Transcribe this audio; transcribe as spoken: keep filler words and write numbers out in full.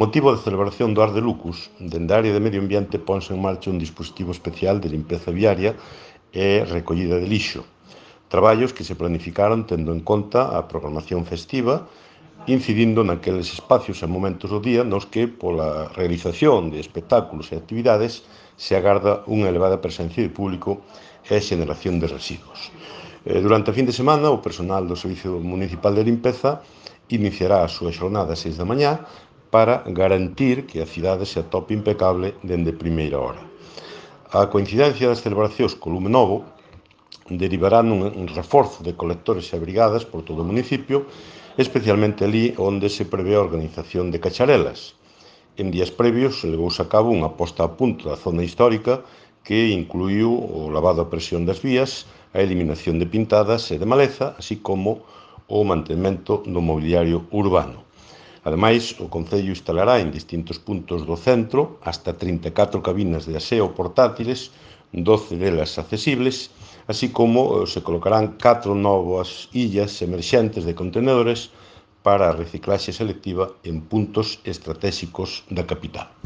Motivo da celebración do Ars de Lucus, dende a área de Medio Ambiente ponse en marcha un dispositivo especial de limpeza viaria e recollida de lixo. Traballos que se planificaron tendo en conta a programación festiva, incidindo naqueles espacios e momentos do día nos que, pola realización de espectáculos e actividades, se agarda unha elevada presencia de público e xeneración de residuos. Durante a fin de semana, o personal do Servicio Municipal de Limpeza iniciará a súa xornada ás seis da mañá para garantir que a cidade se atope impecable dende primeira hora. A coincidencia das celebracións co lume novo derivará nun reforzo de colectores e brigadas por todo o municipio, especialmente ali onde se prevé a organización de cacharelas. En días previos levouse a cabo unha posta a punto da zona histórica que incluiu o lavado a presión das vías, a eliminación de pintadas e de maleza, así como o mantemento do mobiliario urbano. Ademais, o Concello instalará en distintos puntos do centro hasta trinta e catro cabinas de aseo portátiles, doce delas accesibles, así como se colocarán catro novas illas emerxentes de contenedores para a reciclaxe selectiva en puntos estratéxicos da capital.